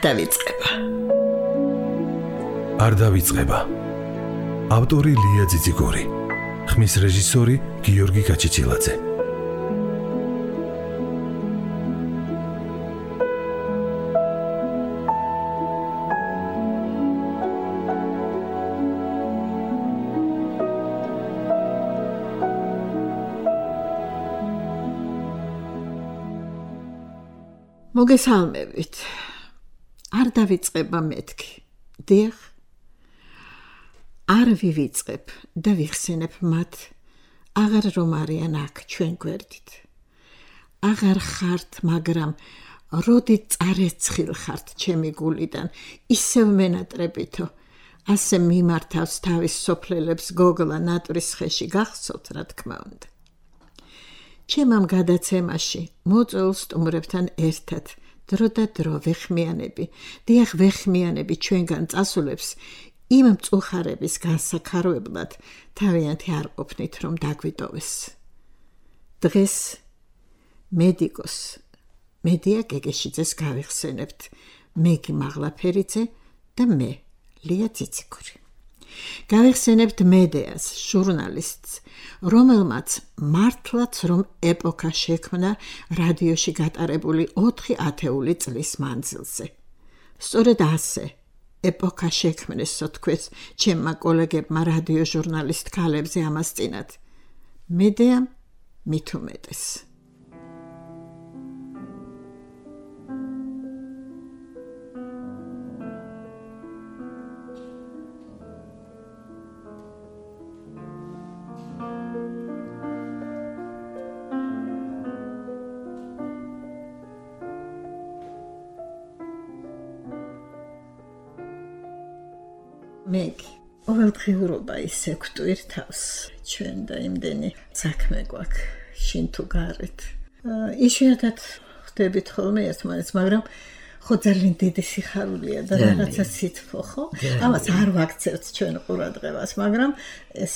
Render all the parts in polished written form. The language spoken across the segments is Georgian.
დავიწყება. არ დავიწყება. ავტორი ლია ძიძიგური. ხმის რეჟისორი გიორგი გაჩიჩილაძე. მოგესალმებით. არ დავიწყება მეთქი. დიახ. არ ვივიწყებ და ვიხსენებ მათ, აღარ რომ არიან აქ ჩვენ გვერდით. აღარ ხართ, მაგრამ როდი წარეცხილ ხართ ჩემი გულიდან, ისევ მენატრებითო, ასე მიმართავს თავის სოფლელებს გოგლა ნატვრის ხეში, გახსოვთ, რა თქმა უნდა. ჩემამ გადაცემაში მოწვეულ სტუმრებთან ერთად დრო და დრო ვეხმიანები, დიახ ვეხმიანები ჩვენგან წასულებს იმ მწუხარების განსაქაროებლად თავიანთი არ ყოფნით, რომ დაგვიტოვეს. დღეს მედიკოს მედია გეგეშიძეს გავიხსენებთ, მეგი მაღლაფერიძე და მე ლია ძიძიგური. გავიხსენებთ მედეას, ჟურნალისტს, რომელმაც მართლაც რომ ეპოქა შექმნა რადიოში გატარებული 4 ათეული წლის მანძილზე. სწორედ ასე ეპოქა შექმნესო თქვეს ჩემმა კოლეგებმა რადიო ჟურნალისტ ქალებზე ამასწინათ. მედეამ მით უმეტეს. მეგი, ყოველდღიურობა ისე გვტვირ თავს, ჩვენ და იმდენი საქმე გვაქვს, შინ თუ გარეთ. იშვიათად ხდებით ხოლმე ერთმანეთს, მაგრამ ხო ძალიან დიდი სიხარულია და რაღაცა სითბო, ხო? ამას არ ვაქცევთ ჩვენ ყურადღებას, მაგრამ ეს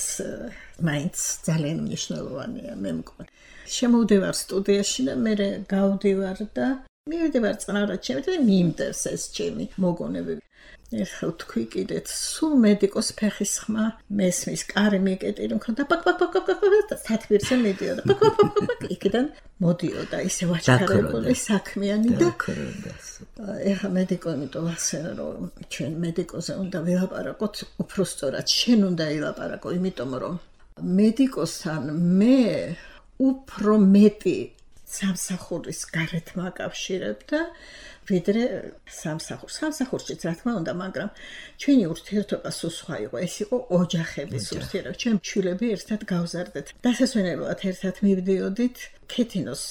მაინც ძალიან მნიშვნელოვანია, მე მგონი. შემოვდივარ სტუდიაში და მე გავდივარ და მივიდივარ წყნარად ჩემით და მიიმდევს ეს ჩემი მოგონებები. ეხლა თქვი კიდეთ, სულ მედიკოს ფეხის ხმა მესმის, კარი მიკეტილი მქონდა, და სათბირზე მიდიოდა, იქიდან მოდიოდა, ისე ვაჩქარებული, საქმიანი და ეხლა მედიკო, იმიტომ ასე რომ ჩვენ მედიკოზე უნდა ვილაპარაკოთ, უფრო სწორად შენ უნდა ილაპარაკო, იმიტომ რომ მედიკოსთან მე უფრო მეტი სამსახურის გარეთ მაკავშირებ და ვიდრე სამსახურშიც რა თქმა უნდა, მაგრამ ჩვენი ურთიერთობა სულ სხვა იყო, ეს იყო ოჯახების ურთიერთობა. ჩვენ შვილები ერთად გავზარდეთ. დასასვენებლად ერთად მივდიოდით, ქეთინოს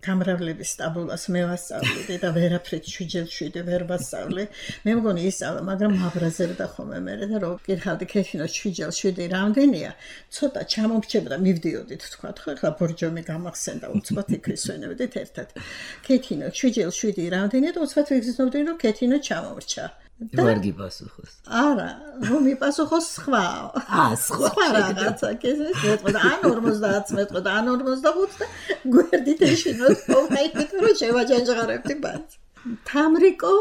გამრავლების სტაბულას მე ვასწავლდი და ვერაფრით 7/7 ვერ ვასწავლე. მე მგონი ისწავლა, მაგრამ მაბრაზებდა ხოლმე მე და რო კითხავდი ქეთინოს 7/7 რამდენია, ცოტა ჩამომრჩებდა, მივდიოდით თქვა, ხო, ეხლა ბორჯომი გამახსენდა, უცბად იქ ვისვენებდით ერთად. ქეთინო 7/7 რამდენია და უცბად ვიგრძნობდი, რომ ქეთინო ჩამომრჩა. ვარგი პასუხოს. არა, რომ მიპასუხოს სხვა. სხვა რაღაცა, კეზეს მეტყოდა, ან 50 მეტყოდა, ან 45 და გვერდით ეშინოს, ხაიქით რომ შევაჯანჯღარებდი ბაც. თამრიკო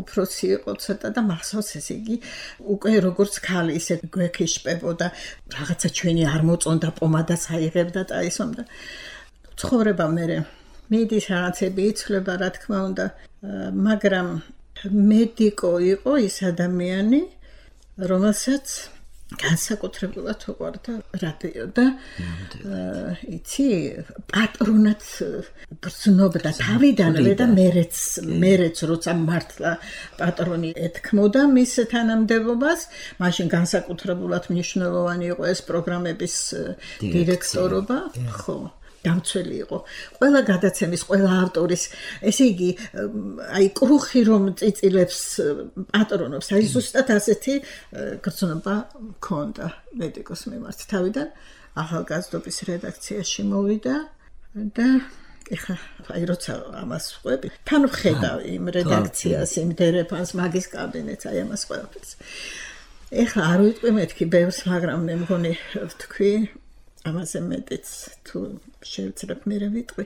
უფროსი იყო ცოტა და მახსოვს ესე იგი, უკვე როგორც ქალი ისე გვექიშპებოდა, რაღაცა ჩვენი არ მოწონდა, პომადას აიღებდა და ისომდა. ცხოვრება მე მიდის რაღაცები იცვლება, რა თქმა უნდა, მაგრამ მედიკო იყო ის ადამიანი, რომელსაც განსაკუთრებულად უყვარდა რადიო და იცი, პატრონად გრძნობდა თავიდანვე და მერეც როცა მართლა პატრონი ეთქმოდა მის თანამდებობას, მაშინ განსაკუთრებულად მნიშვნელოვანი იყო ეს პროგრამების დირექტორობა, ხო. დამცველი იყო. ყველა გადაცემის, ყველა ავტორის, ესე იგი, აი კრუხი რომ წიწილებს პატრონობს, აი ზუსტად ასეთი გრძნობა მქონდა მედიკოს მიმართ. თავიდან ახალგაზრდობის რედაქციაში მოვიდა და ეხლა აი როცა ამას ვყვები, თან ვხედავ იმ რედაქციას, იმ დერეფანს, მაგის კაბინეტს, აი ამას ყველაფერს. ეხლა არ ვიტყვი მეთქი ბევრს, მაგრამ მე მგონი ვთქვი ამაზე მეტიც თუ შევცრებ მე ვიტყვი.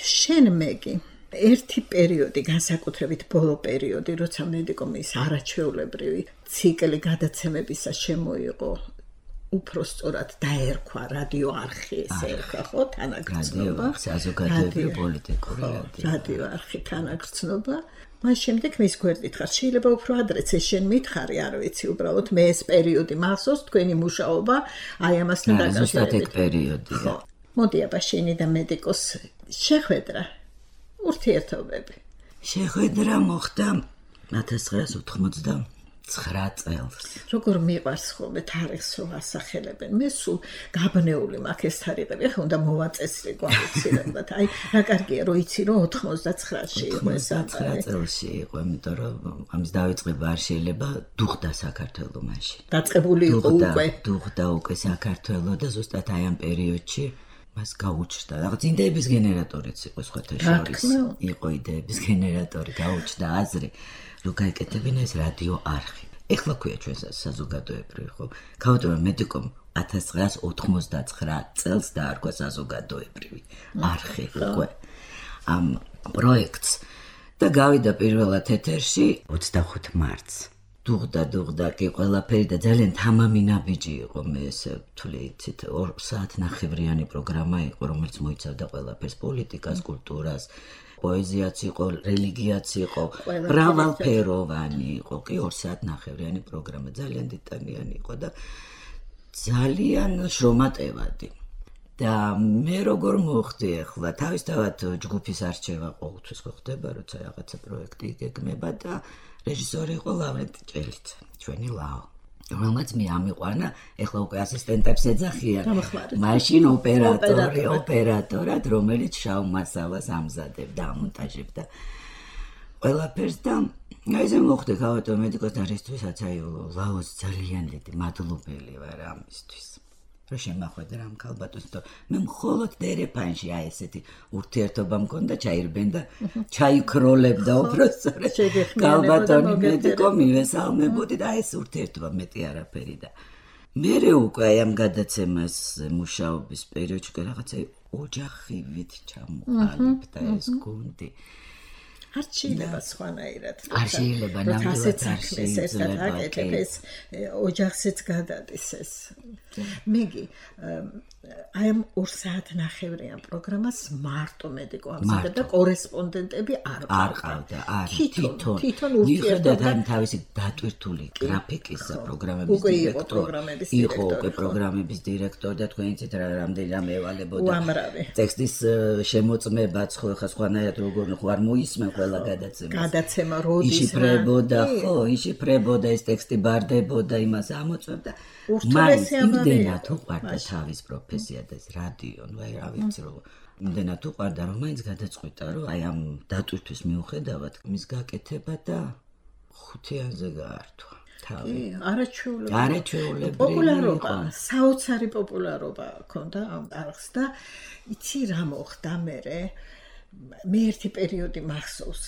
შენ მეგი ერთი პერიოდი, განსაკუთრებით ბოლო პერიოდი, როცა მედიკომის არაჩვეულებრივი ციკლი გადაცემებისა შემოიღო, უფრო სწორად დაერქვა რადიო არხი, ესე ერქვა, ხო, თანაგრძნობა, საზოგადოებრივი პოლიტიკური რადიო არხი თანაგრძნობა. მას შემდეგ მის გვერდით ხარ, შეიძლება უფრო ადრეც ეს შენ მითხარი, არ ვიცი, უბრალოდ მე ეს პერიოდი მახსოვს, თქვენი მუშაობა აი ამასთან დაკავშირებით. პერიოდია. მოდი აბა შენი და მედიკოს შეხვედრა, ურთიერთობები. შეხვედრა მოხდა 1989 წელს. როგორ მიყვარს ხოლმე თარიღს რო ასახელებენ. მე სულ გაბნეული მაქვს ეს თარიღები, ახლა უნდა მოვაწესრიგო აუცილებლად. აი, რა კარგია რომ იცი რომ 99-ში იყო ეს 99 წელსი იყო, იმიტომ რომ ამის დავიწყება არ შეიძლება დუხდა საქართველოს მაშინ. დაწყებული იყო უკვე. დუხდა უკვე საქართველოს და ზუსტად აი ამ პერიოდში მას გაუჩნდა. რაღაც იდეების გენერატორიც იყო სხვათა შორის. იყო იდეების გენერატორი, გაუჩნდა აზრი, რომ გაიკეთებინა ეს რადიო არხი. ეხლა ქვია ჩვენს საზოგადოებრივი, ხო? ქავტომა მედიკომ 1989 წელს დაარქვა საზოგადოებრივი არხი უკვე ამ პროექტს და გავიდა პირველად ეთერში 25 მარტს. დუღდა კი ყველაფერი და ძალიან თამამი ნაბიჯი იყო, მე ესე ვთვლი, იცით, 2 საათნახევრიანი პროგრამა იყო, რომელიც მოიცავდა ყველაფერს, პოლიტიკას, კულტურას, პოეზიაც იყო, რელიგიაც იყო, მრავალფეროვანი იყო, კი 2 საათნახევრიანი პროგრამა, ძალიან დეტალიანი იყო და ძალიან შრომატევადი. და მე როგორ მოხდი ახლა, თავისთავად ჯგუფის არჩევა ყოველთვის ხდება, როცა რაღაცა პროექტი იგეგმება და რეჟისორი იყო ლავრენტი ჭელიძე, ჩვენი ლაო. რომელმაც მე ამიყვანა, ეხლა უკვე ასისტენტებს ეძახიან. მაშინ ოპერატორად, რომელიც შავ მასალას ამზადებდა, ამონტაჟებდა ყველაფერს და აი ესე მოხდა ქავატო მედიკოსთან რისთვისაც აი ლაოს ძალიან დიდი მადლობელი ვარ ამისთვის. რომ შემახვედრა ამ ქალბატონს, მე მხოლოდ დერეფანში აი ესეთი ურთიერთობა მქონდა, ჩაირბენ და ჩაიქროლებდა უბრალოდ. ქალბატონი მედიკო მივესალმებოდი და აი ეს ურთიერთობა მეტი არაფერი და მერე უკვე აი ამ გადაცემას მუშაობის პერიოდში რაღაცა ოჯახივით ჩამოყალიბდა ეს გუნდი. არ შეიძლება სხვანაირად. არ შეიძლება ნამდვილად არ შეიძლება. ეს ოჯახზეც გადადის ეს. მეგი აი ამ 2 საათნახევრიან პროგრამას მარტო მედიკო ამზადებდა, კორესპონდენტები არ ყავდა. თვითონ ურთიერთობა ამ თავისი დატვირთული გრაფიკის პროგრამების დირექტორი. იყო უკვე პროგრამების დირექტორი და თქვენ იცით რამდენი რამე ევალებოდა. უამრავი. ტექსტის შემოწმებაც ხო ხა სხვანაირად როგორ არ მოისმენ ყველა გადაცემა როდის იშიფრებოდა ეს ტექსტი ბარდებოდა იმას ამოწმებდა მაინც იმდენად უყვარდა თავის პროფესია და ეს რადიო ნუ აი რა ვიცი რომ იმდენად უყვარდა რომ მაინც გადაწყვიტა რომ აი ამ დატვირთვის მიუხედავად მის გაკეთება და 5-იანზე გაართვა თავი არაჩვეულებრივი პოპულარობა საოცარი პოპულარობა ჰქონდა ამ არხს და იცი რა მოხდა მერე მე ერთი პერიოდი მახსოვს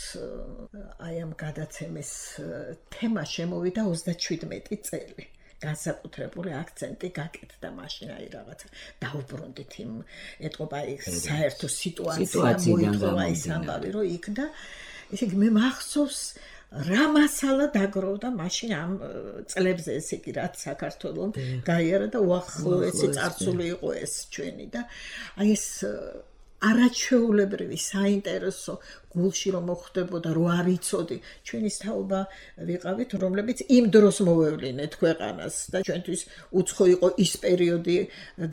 აი ამ გადაცემის თემა შემოვიდა 37 წელი განსაკუთრებული აქცენტი გაკეთდა მაშინ აი რაღაცა დაუბრუნდით იმ ეტყობა ის საერთო სიტუაცია მოიწვა ის ამბავი რომ იქ და ესე იგი მე მახსოვს რა მასალა დაგროვდა მაშინ ამ წლებზე ესე იგი რაც საქართველოს გაიარა და უახლოესი წარსული იყო ეს ჩვენი და აი ეს არაჩვეულებრივი საინტერესო გულში რომ მოხდებოდა რო არ იცოდი ჩვენის თაობა ვიყავით რომლებიც იმ დროს მოვევლინეთ ქვეყანას და ჩვენთვის უცხო იყო ის პერიოდი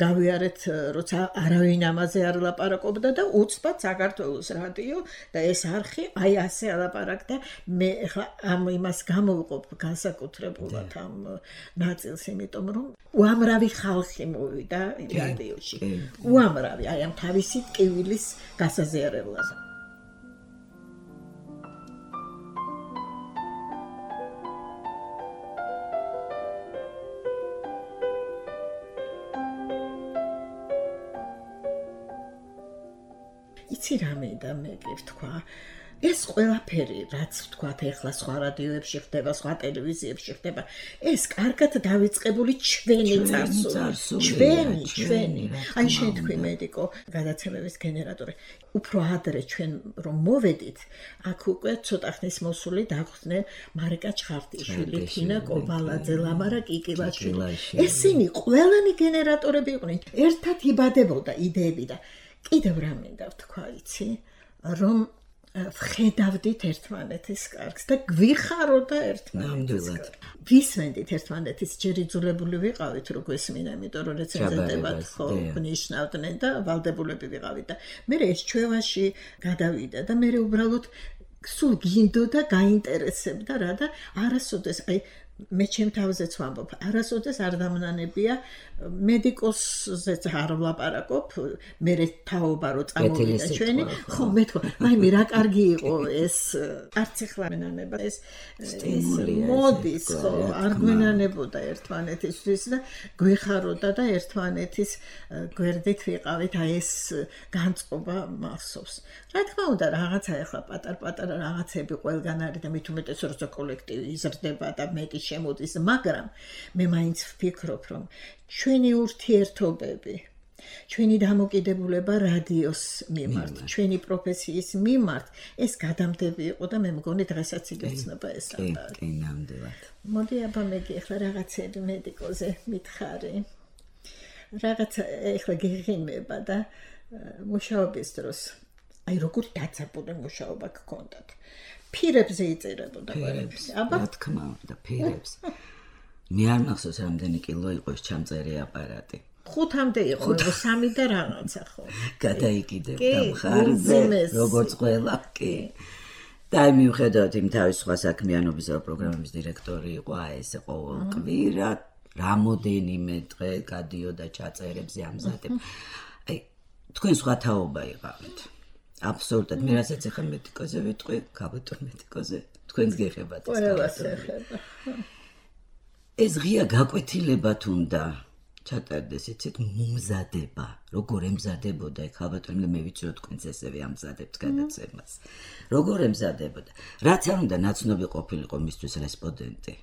გავიარეთ როცა არავინ ამაზე არ ლაპარაკობდა და უცბად საქართველოს რადიო და ეს არხი აი ასე ალაპარაკდა მე ახლა ამ იმას გამოვიყოფ განსაკუთრებულად ამ ნაწილს იმიტომ რომ უამრავი ხალხი მოვიდა რადიოში უამრავი აი ამ თავისი ტკივილის გასაზიარებლად იცი რა მინდა მე გითქვა ეს ყველაფერი, რაც ვთქვათ, ეხლა სხვა რადიოებში ხდება, სხვა ტელევიზიებში ხდება, ეს კარგად დავიწყებული ჩვენი წარსული. ჩვენი. აი შენ თქვი მედიკო, გადაცემების გენერატორი. უფრო ადრე ჩვენ რომ მოვედით, აქ უკვე ცოტა ხნის მოსული დაგვხდნენ მარიკა ჩხარტიშვილი, თინა კობალაძე, ლამარა კიკილაშვილი. ესენი ყველანი გენერატორები იყვნენ. ერთად იბადებოდა იდეები და კიდევ რა მინდა ვთქვა, იცი, რომ ვხედავდით ერთმანეთის კარგს და გვიხაროდა ერთმანეთის კარგს. ვისმენდით ერთმანეთის ჯერ იძულებული ვიყავით რო გვესმინა, იმიტომ რომ რეცენზენტებად ხო გვნიშნავდნენ და ვალდებულები ვიყავით და მე ეს ჩვევაში გადავიდა და მე უბრალოდ სულ გინდოდა გაინტერესებდა რა და არასოდეს აი მე ჩემ თავზეც ვამბობ, არასოდეს არ დამნანებია მედიკოსზეც არ ვლაპარაკობ, მე თაობა რო წამოვიდა ჩვენი, ხო მე თქვა, მაიმე რა კარგი იყო ეს, არც ეხლა მენანება ეს მოდის, ხო, არ გვენანებოდა ერთმანეთისთვის და გვეხაროდა და ერთმანეთის გვერდით ვიყავით, აი ეს განწყობა მახსოვს. რა თქმა უნდა, რაღაცა ეხლა პატარ-პატარა რაღაცები ყველგან არის და მით უმეტეს როცა კოლექტივი იზრდება და მეტი შემოდის, მაგრამ მე მაინც ვფიქრობ, რომ ჩვენი ურთიერთობები, ჩვენი დამოკიდებულება რადიოს მიმართ, ჩვენი პროფესიის მიმართ, ეს გადამდები იყო და მე მგონი დღესაც იგრძნობა ეს რამე. კი, ნამდვილად. მოდი აბა მეგი ახლა რაღაცები მედიკოზე მითხარი. რაღაც ახლა გიღიმება და მუშაობის დროს აი როგორ დაძაბული მუშაობა გქონდათ. ფირებზე იწერებოდა ფირებს. აბა რა თქმა უნდა, ფირებს. მე არ მახსოვს რამდენი კილო იყო ეს ჩამწერი აპარატი. 5-მდე იყო, 3 და რაღაცა ხო. გადაიკიდებდა მხარზე, როგორც ყველა, კი. და მიუხედავად იმ თავის სხვა საქმიანობის და პროგრამების დირექტორი იყო, აი ეს ყოველ კვირა რამოდენიმე დღე გადიოდა ჩაწერებზე ამზადებ. აი თქვენ სხვა თაობა იყავით. აბსოლუტურად მე რასაც ახლა მედიკოზე ვიტყვი, გაბატონ მედიკოზე, თქვენს გეხებათ ეს. ყველას ეხება. ეს ღია გაკვეთილებათ უნდა ჩატარდეს, იცით, მომზადება, როგორ ემზადებოდა ეგ ხალბატონი, მე ვიცი რომ თქვენც ესევე ამზადებთ გადაცემას. როგორ ემზადებოდა. რაც არ უნდა ნაცნობი ყოფილიყო მისთვის რესპონდენტი.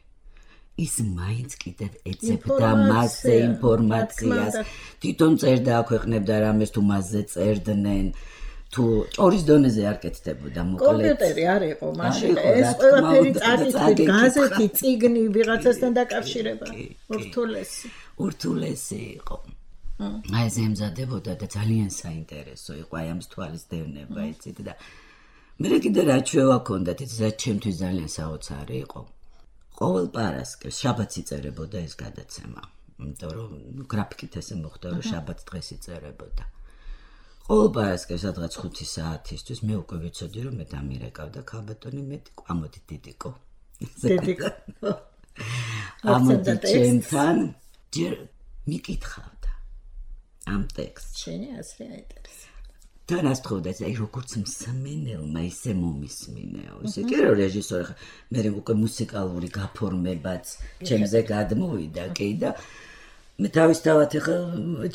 ის მაინც კიდევ ეძებდა მასზე ინფორმაციას. თვითონ წერდა აქვეყნებდა რამეს თუ მასზე წერდნენ. თუ ჭორის დონეზე არ კეთდებოდა მოკლედ. კომპიუტერი არ იყო მაშინ. ეს ყველაფერი წაკითხით, გაზეთი, წიგნი ვიღაცასთან დაკავშირება. ურთულესი იყო. აი ეს ემზადებოდა და ძალიან საინტერესო იყო აი ამის თვალის დევნება, იცით და მე კიდე რა ჩვევა ქონდათ, იცით, რაც ჩემთვის ძალიან საოცარი იყო. ყოველ პარასკევს შაბათს იწერებოდა ეს გადაცემა. იმიტომ რომ გრაფიკით ესე მოხდა, რომ შაბათს დღეს იწერებოდა. ყოველ პარასკევს სადღაც 5 საათისთვის მე უკვე ვიცოდი რომ მე დამირეკავდა ხალბატონი მედიკო, ამოდი დიდიკო. დიდიკო. ამოდი ჩემთან ჯერ მიკითხავდა ამ ტექსტს. შენი აზრი აინტერესებდა. თან ასთხოვდა აი როგორც მსმენელმა ისე მომისმინეო. ისე კი რომ რეჟისორი ხა მე უკვე მუსიკალური გაფორმებაც ჩემზე გადმოვიდა კი და მე თავისთავად ახლა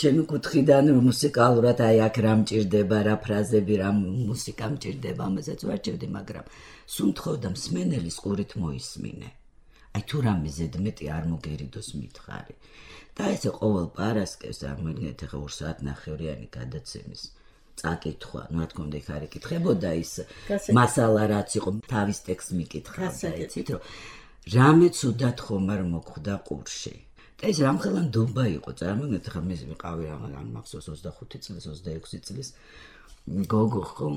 ჩემი კუთხიდან მუსიკალურად აი აქ რა მჭირდება, რა ფრაზები, რა მუსიკა მჭირდება, ამასაც ვარჩევდი, მაგრამ სუნთხოვდა მსმენელის ყურით მოისმინე. აი თუ რამე ზედმეტი არ მოგერიდოს მითხარი. და ესე ყოველ პარასკევს აღმოჩნდეთ ახლა 2 საათნახევრიანი გადაცემის წაკითხვა, ну რა თქმა უნდა იქ არ იკითხებოდა ის მასალა რაც იყო, თავის ტექსტს მიკითხავდა, იცით რომ რამე ცუდად ხომ არ მოხვდა ყურში. ეს რამხელა ნდობა იყო, წარმოგიდგენთ ხა მე ვიყავი რაღაც მახსოვს 25 წლის, 26 წლის გოგო ხო?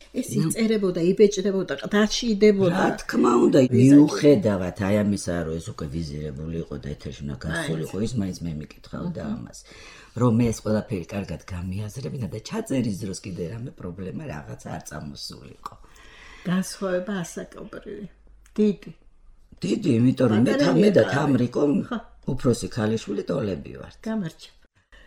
ეს იწერებოდა, იბეჭდებოდა, ყდაში იდებოდა. რა თქმა უნდა, მიუხედავად აი ამისა, რომ ეს უკვე ვიზირებული იყო და ეთერში უნდა გასულიყო, ის მაინც მე მიკითხავდა ამას. რომ მე ეს ყველაფერი კარგად გამიაზრებინა და ჩაწერის დროს კიდე რამე პრობლემა რაღაც არ წამოსულიყო. განსხვავება ასაკობრივი. დიდი. დიდი, იმიტომ რომ მე და თამრიკო უფროსი ქალიშვილი ტოლები ვართ. გამარჯობა.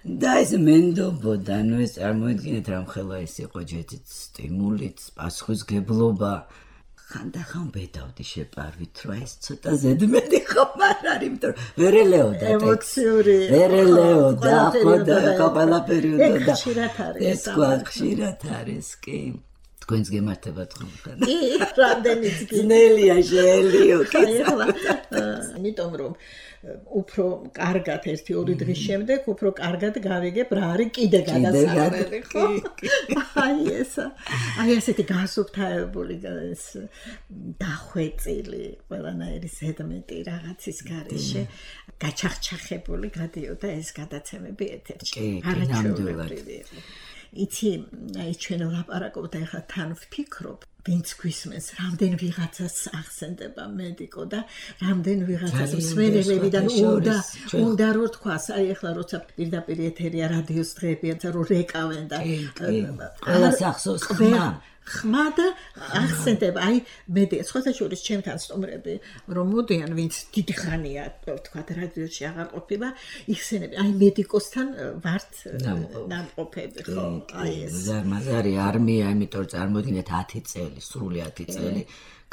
და ეს მენდობოდა, ну ეს წარმოიდგინეთ რამხელა ეს იყო ჯეთით სტიმულით, პასუხისგებლობა. ხანდახან ბედავდი შეპარვით, რომ ეს ცოტა ზედმეტი ხომ არ არის, იმიტომ რომ ვერ ელეოდა ემოციური. ვერ ელეოდა, ხო და ყველაფერი უნდა და ხშირად არის. ეს ხშირად არის, კი. თქვენს გემართებათ ხომ? რამდენიც ძნელია შეელიო. იმიტომ რომ უფრო კარგად 1-2 დღის შემდეგ უფრო კარგად გავიგებ რა არის კიდე გადასახადები ხო? აი ესეთი გასუფთავებული დახვეწილი ყველანაირი ზედმეტი რაღაცის გარეშე გაჩახჩახებული გადიოდა ეს გადაცემები ეთერში. არაჩვეულებრივი იყო. იცი, აი ჩვენ ვლაპარაკობთ ახლა თან ვფიქრობ, ვინც გვისმენს, რამდენ ვიღაცას ახსენდება მედიკო და რამდენ ვიღაცას მსმენელებიდან უნდა რო თქვას, აი ახლა როცა პირდაპირ ეთერია რადიოს დღეებია, რომ რეკავენ და ყველას ახსოვს ხმა და ახსენდება, აი მედია, სხვათა შორის ჩემთან სტუმრები რომ მოდიან, ვინც დიდი ხანია, თქვა რადიოში აღარ ყოფილა, იხსენები, აი მედიკოსთან ვართ ნამყოფები, ხო? აი ეს. მაზარი არმია, იმიტომ წარმოიდგინეთ 10 წელი, სრული 10 წელი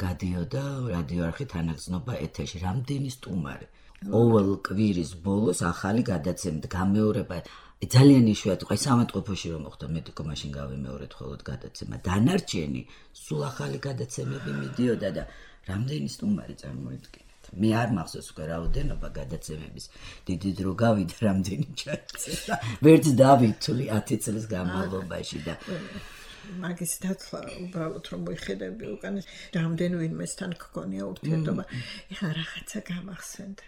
გადიოდა რადიო არხი თანაგზნობა ეთერში, რამდენი სტუმარი. ყოველ კვირის ბოლოს ახალი გადაცემა, გამეორება ძალიან იშვიათი იყო, სამეთყოფოში რომ მოხდა მედიკო მაშინ გავიმეორეთ ხოლოდ გადაცემა. დანარჩენი სულ ახალი გადაცემები მიდიოდა და რამდენი სტუმარი წარმოიდგინეთ. მე არ მახსოვს უკვე რაოდენობა გადაცემების. დიდი დრო გავიდა რამდენი ჩაწერა. ვერც დავითვლი 10 წლის განმავლობაში და მაგის დათვლა უბრალოდ რომ მოიხედები უკან რამდენ ვინმესთან გქონია ურთიერთობა. ეხლა რაღაცა გამახსენდა.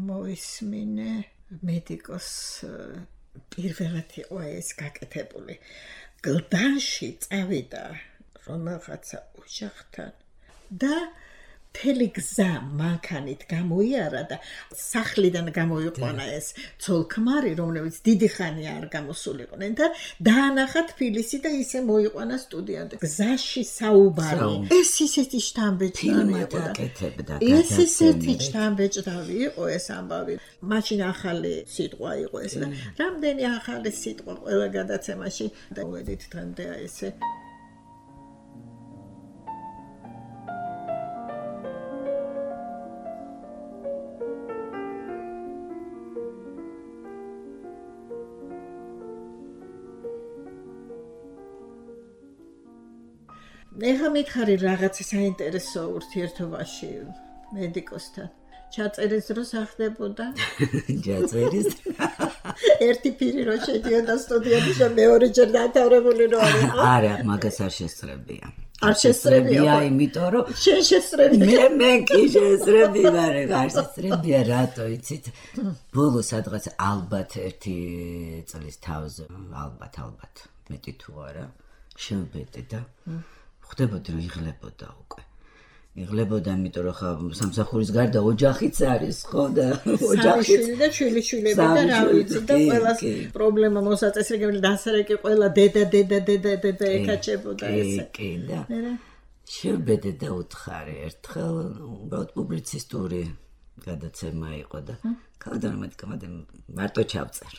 მოისმინე მედიკოს პირველად იყო ეს გაკეთებული. გლდანში წავიდა რომელღაცა ოჯახთან და მთელი გზა მანქანით გამოიარა და სახლიდან გამოიყვანა ეს ცოლ-ქმარი, რომლებიც დიდი ხანია არ გამოსულიყვნენ და დაანახა თბილისი და ისე მოიყვანა სტუდიამდე. გზაში საუბარი. ეს ისეთი შთამბეჭდავი იყო და ეს ისეთი შთამბეჭდავი იყო ეს ამბავი. მაშინ ახალი სიტყვა იყო ეს და რამდენი ახალი სიტყვა ყველა გადაცემაში და ვედით დღემდე ესე ეხა მითხარი რაღაც საინტერესო ურთიერთობაში მედიკოსთან. ჩაწერის დროს ახდებოდა? ჩაწერის. ერთი პირი რო შედიოდა სტუდიაში და მეორე ჯერ დათავრებული რო არისო? არა, მაგას არ შესწრებია. არ შესწრებია, იმიტომ რომ შენ შესწრებია. მე კი შესწრები ვარ, არ შესწრებია, რატო იცით? ბოლო სადღაც ალბათ 1 წლის თავზე, ალბათ, მეტი თუ არა, შევბედე და ხდებოდი რომ იღლებოდა უკვე. იღლებოდა, იმიტომ რომ ხა სამსახურის გარდა ოჯახიც არის, ხო და ოჯახიც და შვილიშვილები და რა ვიცი და ყველას პრობლემა მოსაწესრიგებელი დასარეკი ყველა დედა ეკაჭებოდა ესე. კი და შევბედე და უთხარი ერთხელ უბრალოდ პუბლიცისტური გადაცემა იყო და ქალთან მედიკამენტი მარტო ჩავწერ.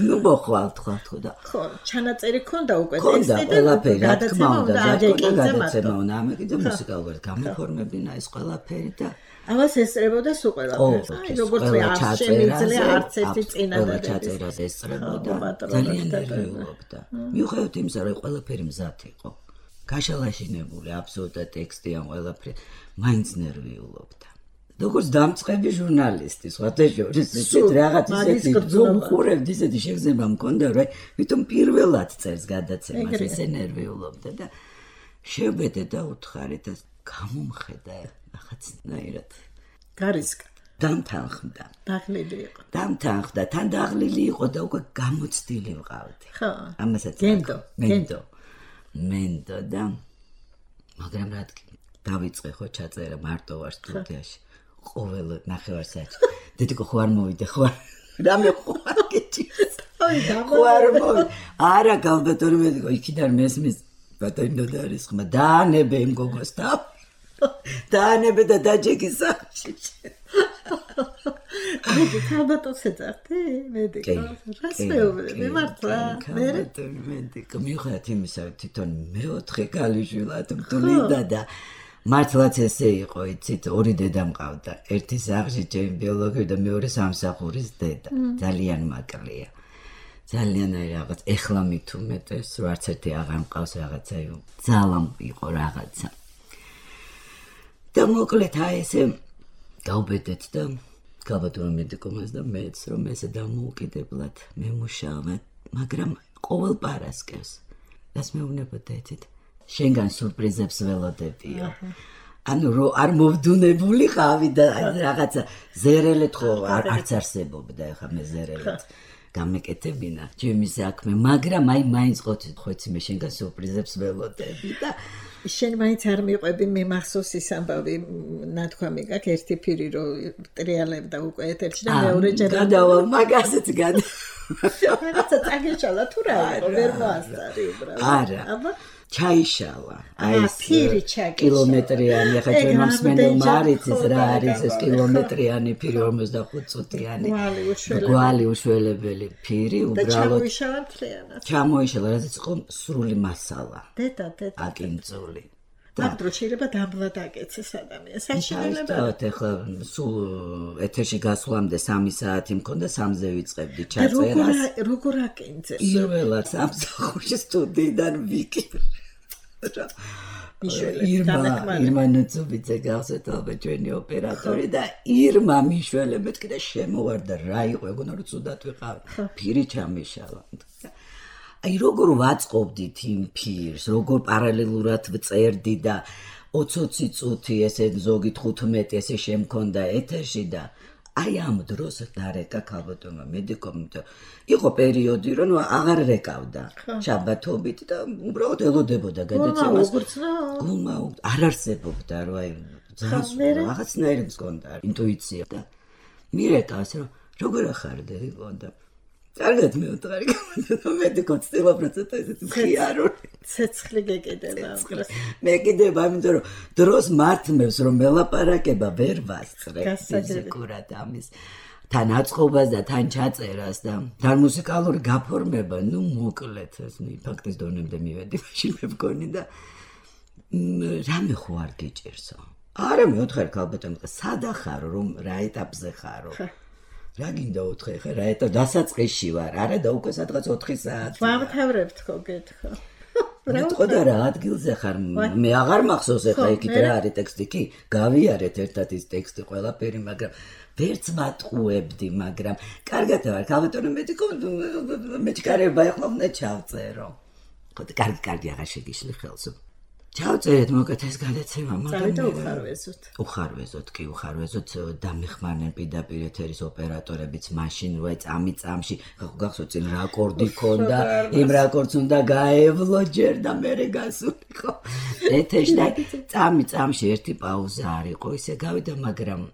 ნუ მოხვალთ ხო და ხო ჩანაწერი ქონდა უკვე ტექსტი და ყველაფერი რა თქმა უნდა გადაცემა უნდა ამეკიდა მუსიკალურად გამოფორმებინა ეს ყველაფერი და ამას ესწრებოდა სულ ყველაფერს აი როგორც არ შემიძლია არც ერთი წინადადება ჩაწერა ესწრებოდა ძალიან ნერვიულობდა მიუხედავად იმისა რომ ყველაფერი მზად იყო გაშალაშინებული აბსოლუტურად ტექსტი ან ყველაფერი მაინც ნერვიულობდა როგორც დამწყები ჟურნალისტი, სხვათა შორის, ისეთ რაღაც ისეთი ზომხურებდი, ისეთი შეგრძნება მქონდა, რომ ვითომ პირველად წერს გადაცემას, ესე ნერვიულობდა და შევბედე და უთხარი და გამომხედა რაღაცნაირად. გარისკა. დამთანხმდა. დაღლილი იყო. დამთანხმდა, თან დაღლილი იყო და უკვე გამოცდილი ვყავდი. ხო. ამასაც მენდო და მაგრამ რადგან დავიწყე ხო ჩაწერა მარტო ვარ სტუდიაში. ყოველ ნახევარსაათში. დედიკო ხო არ მოვიდე ხო? რამე ხო არ გეჭირს. ხო არ მოვიდე. არა გავბატონო მედიკო იქიდან მესმის ბატონო და არის ხმა დაანებე იმ გოგოს და დაანებე და დაჯეგი სახში. მედიკო ბატონს ეძახდი მედიკო. რას მეუბნები მართლა? მედიკო მიუხედავად იმისა თვითონ მეოთხე კალიშვილად მტვლიდა და მართლაც ესე იყო, იცით, ორი დედა მყავდა. ერთი სახლში ჩემი ბიოლოგიური და მეორე სამსახურის დედა. ძალიან მაკლია. ძალიან რაღაც ეხლა მით უმეტეს, რომ არც ერთი აღარ მყავს რაღაცა, ძალამ იყო რაღაცა. და მოკლედ აი ესე გავბედეთ და გავატოვე მედიკომას და მეც რომ ესე დამოუკიდებლად მემუშავე, მაგრამ ყოველ პარასკევს რას მეუბნებოდა იცით? შენგან სურპრიზებს ველოდებიო. ანუ რო არ მოვდუნებული ყავი და რაღაცა ზერელეთ ხო არც არსებობდა ეხა მე ზერელეთ გამეკეთებინა ჩემი საქმე, მაგრამ აი მაინც ხოიცი მე შენგან სურპრიზებს ველოდები და შენ მაინც არ მიყვები მე მახსოვს ის ამბავი ნათქვამი გაქვს ერთი ფირი რო ტრიალებდა უკვე ეთერში და მეორე ჯერ გადავალ მაგაზეც რაღაცა წაგეშალა თუ რა იყო ვერ მოასწარი უბრალოდ არა აბა ჩაიშალა აი ეს ფირი ჩაგეშალა კილომეტრიანი ახლა ჩვენ მსმენელმა არ იცის რა არის ეს კილომეტრიანი ფირი 45 წუთიანი გვალი უშველებელი ფირი უბრალოდ ჩამოიშალა რასაც იყო სრული მასალა დედა აკინწული აკდრო შეიძლება დამბლად აკეცეს ადამიანს საშინელებად ეხლა სულ ეთერში გასვლამდე 3 საათი მქონდა 3-ზე ვიწყებდი ჩაწერას როგორ აკინძეს პირველად სამსახურში სტუდიიდან ვიკი ირმა ნუცუბიძე გავსეთობა ჩვენი ოპერატორი და ირმა მიშველე მეთქი და შემოვარდა რა იყო ეგონა რომ ცუდად ვიყავი ფირი ჩამიშალა აი როგორ ვაწყობდით იმ ფირს, როგორ პარალელურად ვწერდი და 20 წუთი ესე ზოგი 15 ესე შემქონდა ეთერში და აი ამ დროს დარეკა ქალბატონმა მედიკომ იყო პერიოდი რომ აღარ რეკავდა შაბათობით და უბრალოდ ელოდებოდა გადაცემას არ არსებობდა რომ აი რაღაცნაირი მქონდა ინტუიცია და მირეკავს რომ როგორ ახარდა იქონდა კარგად მეუთხარი მედიკო ცდილობრაცეთ ესეთი ხიარული ცეცხლი გეკიდება მე კიდევ ამიტომ რომ დროს მართმევს რომ მელაპარაკება ვერ ვასწრებ ფიზიკურად ამის თან აწყობას და თან ჩაწერას და თან მუსიკალური გაფორმება ნუ მოკლედ ეს ფაქტის დონემდე მივედი მაშინ მე მგონი და რამე ხო არ გიჭირსო არა მეუთხარი ქალბატონო სადახარო რომ რა ეტაპზე ხარო რა გინდა ოთხე ხე რა ეტა დასაწყისში ვარ არა და უკვე სადღაც 4 საათი ვამთავრებთ ხო გეთქო მეთქო და რა ადგილზე ხარ მე აღარ მახსოვს ეხლა იქით რა არის ტექსტი კი გავიარეთ ერთად ის ტექსტი ყველაფერი მაგრამ ვერც მატყუებდი მაგრამ კარგად ვარ ქალბატონო მედიკო მეჩქარება ეხლა უნდა ჩავწერო ხო კარგი აღარ შეგიშლი ხელს ჩავწერეთ მოკეთ ეს გადაცემა მაგრამ უხარვეზოთ დამეხმარნენ პირდაპირ ეთერის ოპერატორებიც მაშინ რო წამში გახსოვთ წინ რაკორდი ქონდა იმ რაკორდს უნდა გაევლო ჯერ და მერე გასულიყო ეთერში და წამში ერთი პაუზა არ იყო ისე გავიდა მაგრამ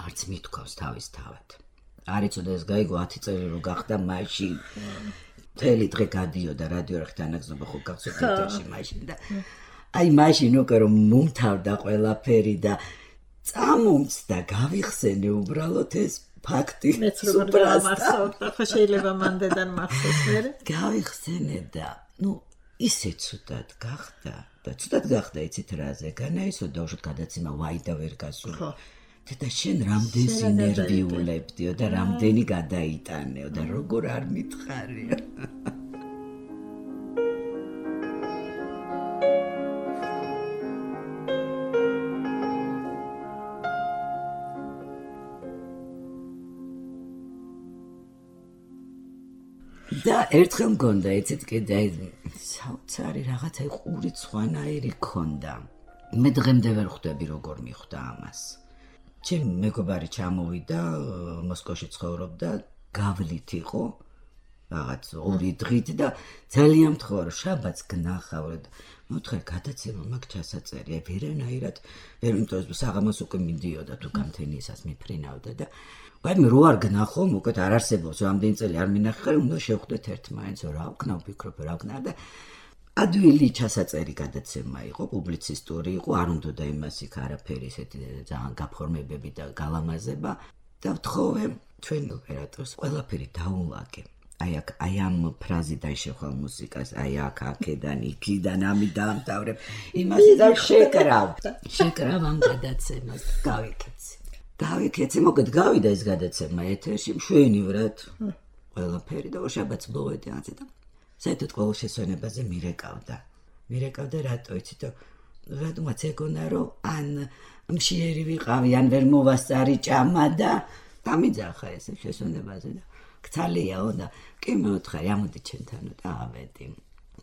არც მithქვავს თავისთავად არ იცოდა ეს გაიგო 10 წელი რო გახდა მაშინ მთელი დღე გადიოდა რადიო რხთანაგზნობა ხო გახსოვთ ეთერში მაშინ და აი მაშინ უკვე რომ მომთავრდა ყველაფერი და წამომცდა გავიხსენე უბრალოდ ეს ფაქტი მეც როგორ გამახსოვდა ხო შეიძლება მანდედან მახსოვს მე გავიხსენე და ნუ ისე ცუდად გახდა და ცუდად გახდა იცით რაზე განაისო დაუშვათ გადაცემა ვაი და ვერ გასული და შენ რამდენს ინერვიულებდიო და რამდენი გადაიტანეო და როგორ არ მითხარია და ერთხელ მგონდა იცით კიდე საოცარი რაღაცა ყური ცხვანაირი ქონდა მე დღემდე ვერ ხვდები როგორ მიხვდა ამას ჩემი მეგობარი ჩამოვიდა მოსკოვში ცხოვრობდა გავლით იყო რაღაც 2 დღით და ძალიან მთხოვა რომ შაბათს გნახავდეთ მოთხარ გადაცემა მაგ ჩასაწერია ვერანაირად ვერ იმიტომ საღამოს უკვე მიდიოდა თუ გამთენიისას მიფრინავდა და ვაი მე რო არ გნახო მოკეთ არ არსებობს რამდენი წელი არ მინახე უნდა შევხვდეთ ერთმანეთს რა ვქნა ვფიქრობ რა ვქნა და ადვილი ჩასაწერი გადაცემა იყო პუბლიცისტური იყო არ უნდა იმას იქ არაფერი ესეთი ძალიან გაფორმებები და გალამაზება და ვთხოვე ჩვენ ოპერატორს ყველაფერი დაულაგე აი ამ ფრაზიდან შეხვალ მუსიკას აი აქედან იქიდან ამი დაამთავრებ იმას და შეკრავ ამ გადაცემას გავიქეცი მოკეთ გავიდა ეს გადაცემა ეთერში მშვენივრად ყველაფერი და ორშაბათს მოვედი ანზე და საერთოდ ყოველ შესვენებაზე მირეკავდა რატო იცით რატომაც ეგონა რომ ან მშიერი ვიყავი ან ვერ მოვასწარი ჭამა და დამიძახა ეს შესვენებაზე და გცალიაო და კი მეუთხარი ამოდი ჩვენთანო და ავედი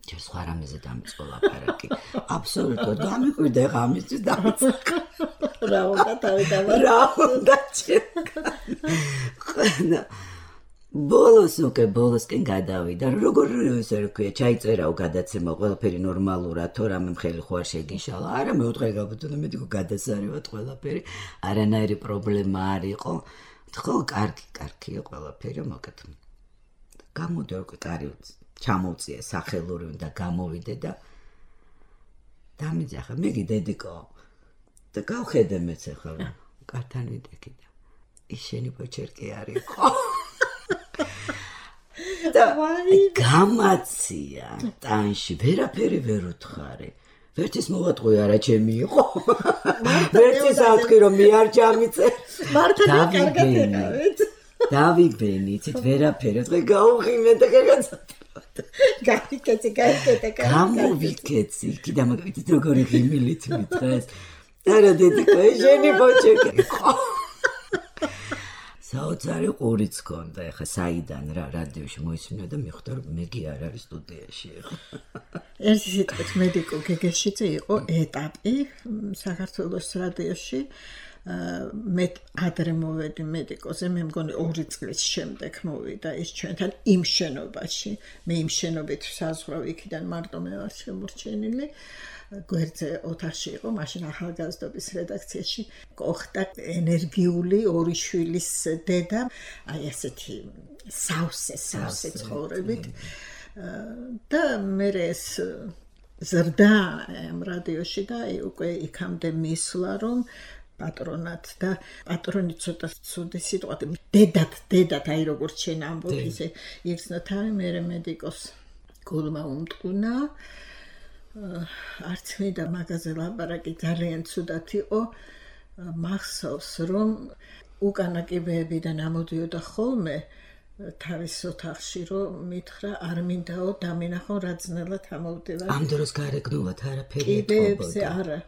ჯერ სხვა რამეზე დამიწყო ლაპარაკი აბსოლუტურად გამიკვირდა ღამისთვის დამიწყა რა უნდა თავიდანვე რა უნდა ჩემ ბოლოსკენ გადავიდა როგორ ისე რა ქვია ჩაიწერაო გადაცემა ყველაფერი ნორმალურა თუ რამე მხელი ხო არ შეგიშალა არა მეუთხარი გაბუდო მედიკო გადასარევად ყველაფერი არანაირი პრობლემა არ იყო ხო კარგია ყველაფერი მოკეთ გამოდი უკვე კარი ჩამოვწია სახელური უნდა გამოვიდე და დამიძახა მეგი დედიკო და გავხედე მეც ახლა კართან ვიდექი და ის შენი პოჩერკი არისო და გამაცია ტანში ვერაფერი ვერ უთხარი ვერცის მოვატყვი არა ჩემი იყო ვერცის ავთქვი რომ მე არ ჩამიწე დავიგბენი იცით ვერაფერი დღე გაუღიმე და გაიქეცი გამოვიქეცი კიდე მაგით როგორი ღიმილით მითხრეს არა დედიკო შენი პოჩერკი საოცარი ყურიც გქონდა ეხა საიდან რა რადიოში მოისმინა და მიხვდა რომ მეგი არ არის სტუდიაში ეხა ერთი სიტყვით მედიკო გეგეშიძე იყო ეტაპი საქართველოს რადიოში მე ადრე მოვედი მედიკოზე მე მგონი 2 წლის შემდეგ მოვიდა ის ჩვენთან იმ შენობაში მე იმ შენობით საზღვრავ იქიდან მარტო მე ვარ შემორჩენილი გვერდზე ოთახში იყო მაშინ ახალგაზრდობის რედაქციაში ყოხდა ენერგიული ორი შვილის დედა აი ესეთი სავსე ცხოვრებით და მე ეს ზრდა ამ რადიოში და უკვე იქამდე მისვლა რომ პატრონად და პატრონი ცოტა ცუდი სიტყვა დედად აი როგორც შენ ამბობ ისე იხსნა თავი მე მედიკოს გულმა უმტყუნა არც მე და მაგაზე ლაპარაკი ძალიან ცუდად იყო მახსოვს რომ უკანა კიბეებიდან ამოდიოდა ხოლმე თავის ოთახში რომ მითხრა არ მინდაო დამინახო რა ძნელად ამოვდივარ ამ დროს გარეგნულად არაფერი კიბეებზე არა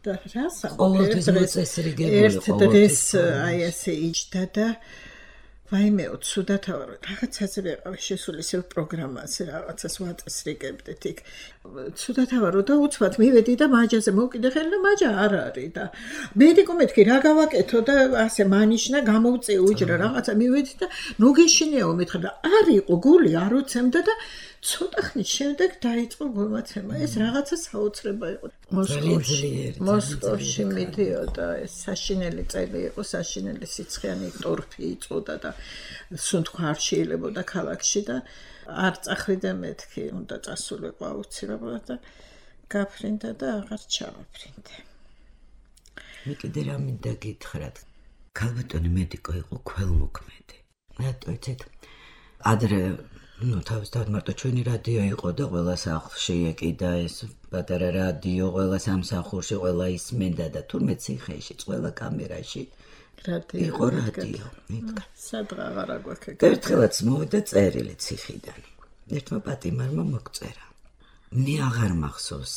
და რასა ყოველთვის მოწესრიგებული ერთ დღეს აი ესე იჯდა და ვაიმეო ცუდად ვარ რაღაცაზე ვიყავი შესული ისევ პროგრამაზე რაღაცას ვაწესრიგებდით იქ ცუდად ვარო და უცბად მივედი და მაჯაზე მოვკიდე ხელი და მაჯა არ არის და მედიკო მეთქი რა გავაკეთო და ასე მანიშნა გამოვწე უჯრა რაღაცა მივედი და ნუ გეშინიაო მეთქი და არ იყო გული არ უცემდა და ცოტა ხნის შემდეგ დაიწყო გულმაცემა ეს რაღაცა საოცრება იყო მოსკოვში მიდიოდა ეს საშინელი წელი იყო საშინელი სიცხიანი ტორფი იწოდა და სუნთქვა არ შეიძლებოდა ქალაქში და არ წახვიდე მეთქი უნდა წასულიყო აუცილებლად და გაფრინდა და აღარ ჩავაფრინდე მე კიდე რა მინდა გითხრათ ქალბატონი მედიკო იყო ქველმოქმედი რატო იცით ადრე ну თავისთავად მარტო ჩვენი რადიო იყო და ყველა სახლში ეკიდა ეს პატარა რადიო ყველა სამსახურში ყველა ისმენდა და თურმე ციხეში ყველა კამერაში იყო რადიო მითქა სადღა აღარა გვაქვს ერთხელაც მოვიდა წერილი ციხიდან ერთმა პატიმარმა მოგწერა მე აღარ მახსოვს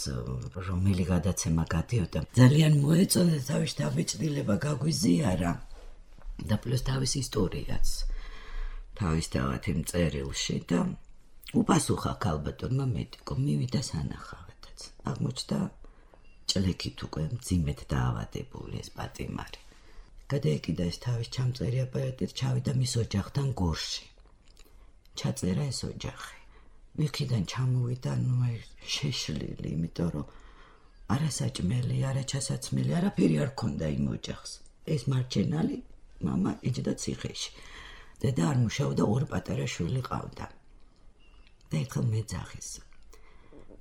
რომელი გადაცემა გადიოდა ძალიან მოეწონა თავის დაბეჭდილება გაგვიზიარა და პლუს თავის ისტორიაც თავისთავად იმ წერილში და უპასუხა ქალბატონმა მედიკო მივიდა სანახავადაც აღმოჩნდა ჭლექით უკვე მძიმედ დაავადებული ეს პატიმარი გადაეკიდა ეს თავის ჩამწერი აპარატით ჩავიდა მის ოჯახთან გორში ჩაწერა ეს ოჯახი იქიდან ჩამოვიდა ნუ შეშლილი იმიტომ რომ არასაჭმელი არაჩასაცმელი არაფერი არ ქონდა იმ ოჯახს ეს მარჩენალი მამა იჯდა ციხეში დედა არ მუშაობდა ორი პატარა შვილი ყავდა და ეხლა მეძახის